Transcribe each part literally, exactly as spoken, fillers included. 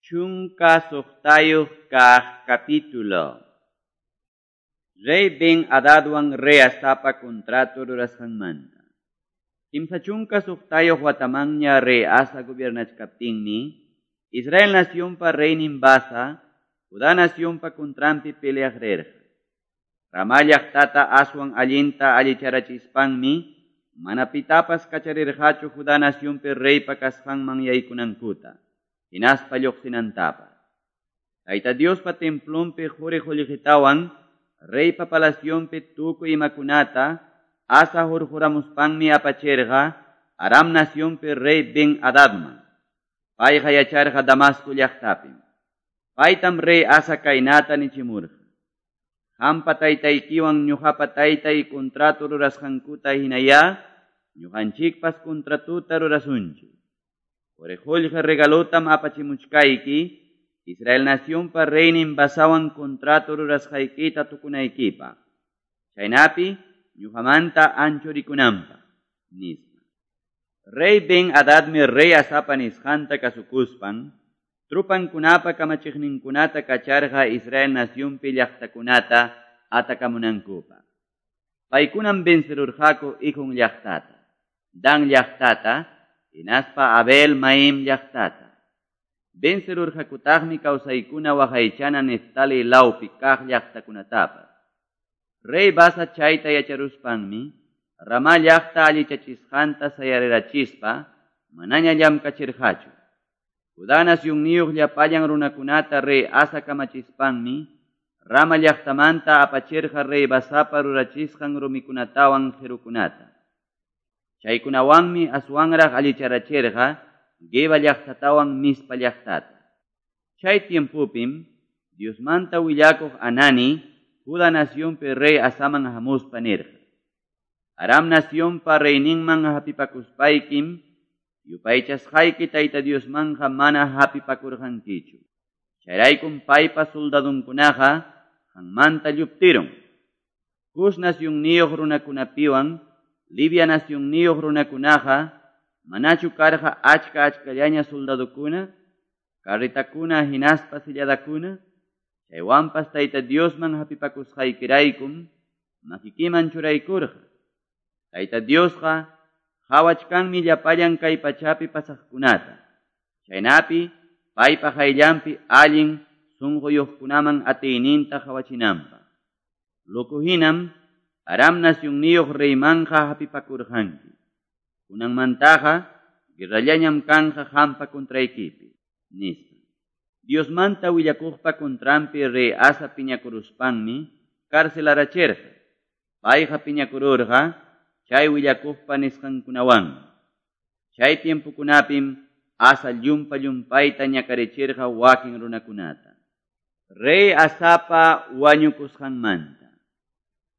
Chunka suqtayuq kaq capítulo. Rey Ben Hadadwan rey Asapa contrato rurasqanmanta. Kimsa chunka suqtayuq watamanña rey Asa gobiernachkaptinmi, Israel nacionpa reynin Basa, Judá nacionpa contranpi peleaq rirqa. Ramá llaqtata aswan allinta allicharachispanmi, mana pitapas kacharirqachu Judá nacionpi reypa kasqanman yaykunankuta, hinaspa lluqsinantapas. Tayta Diospa templonpi quri qullqitawan, reypa palacionpi tukuy imakunata, Asa hurquramuspanmi apachirqa Aram nacionpi rey Ben Hadadman. Payqa yacharqa Damasco llaqtapim. Paytam rey Asa kaynata nichimurqa: Qampa taytaykiwan ñuqapa taytay contrato rurasqankuta hinayá, ñuqanchikpas contratuta rurasunchik. Quri qullqi regalotam apachimuchkayki, Israel nacionpa reynin Basawan contrato rurasqaykita tukunaykipaq. Chaynapi ñuqamanta anchurikunanpaq, nispa. Rey Ben Hadadmi rey Asapa nisqanta kasukuspan, trupankunapa kamachiqninkunata kacharqa Israel nacionpi llaqtakunata atakamunankupaq. Paykunam vencerurqaku Ijón llaqtata, Dan llaqtata, hinaspa Abel Maim llaqtata. Vencerurqakutaqmi kawsaykuna waqaychana Neftali lawpi kaq llaqtakunatapas. Rey Basa chayta yacharuspanmi, Ramá llaqta allichachisqanta sayarirachispa, manaña llamkachirqachu. Judá nacionniyuq llapallan runakunata rey Asa kamachispanmi, Rama llaqtamanta apachirqa rey Basapa rurachisqan rumikunatawan qirukunata. Chaykunawanmi aswanraq allicharachirqa Geba llaqtatawan Mizpa llaqtata. Chay tiempopim, Diosmanta willakuq Anani, Judá nacionpi rey Asaman hamuspa nirqa: Aram nacionpa reyninman hapipakuspaykim, yupaychasqayki Tayta Diosmanqa mana hapipakurqankichu. Chayraykum paypa soldadunkunaqa qanmanta lluptirun. Cus nacionniyuq runakunapiwan, Libia nacionniyuq runakunaqa, manachu karqa achka achkallaña soldadukuna, carretakuna hinaspa silladakuna? Chaywanpas Tayta Diosman hapipakusqaykiraykum makikiman churaykurqa. Tayta Diosqa qhawachkanmi llapallan kay pachapi pasaqkunata. Chaynapi paypa qayllanpi allin sunquyuqkunaman atiyninta qhawachinanpaq. Loco hinam Aram nacionniyuq reymanqa hapipakurqanki. Kunanmantaqa guerrallañam kanqa qampa contraykipi, nispa. Diosmanta willakuqpa contranpi rey Asa piñakuruspanmi carcelarachirqa. Payqa piñakururqa chay willakuqpa nisqankunawanmi. Chay tiempokunapim Asa llumpa llumpayta ñakarichirqa wakin runakunata. Rey Asapa wañukusqanmanta.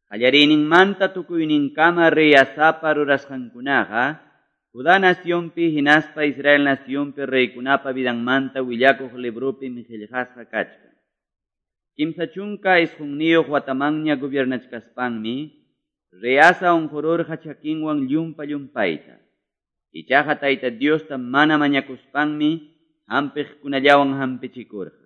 Qallariyninmanta tukuyninkama rey Asapa rurasqankunaqa Judá nacionpi hinaspa Israel nacionpi reykunapa vidanmanta willakuq libropim qillqasqa kachkan. Kimsa chunka isqunniyuq watamanña gobiernachkaspanmi, rey Asa unqururqa chakinwan llumpa llumpayta. Ichaqa Tayta Diosta mana mañakuspanmi hampiqkunallawan hampichikurqa.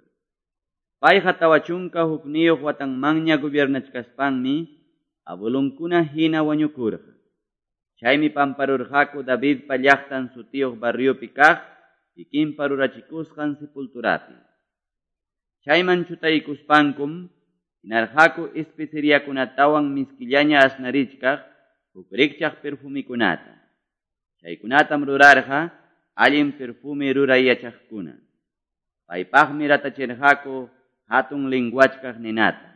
Payqa tawa chunka hukniyuq watanmanña gobiernachkaspanmi abuelonkuna hina wañukurqa. Chaymi pamparurqaku Davidpa llaqtan sutiyuq barriopi kaq kikinpa rurachikusqan sepulturapi. Chayman chutaykuspankum hinarqaku especeriakunatawan miskillaña asnarichkaq huk rikchaq perfumikunata. Chaykunatam rurarqa allin perfume ruray yachaqkuna. Paypaqmi ratachirqaku hatun linguachkaq ninata.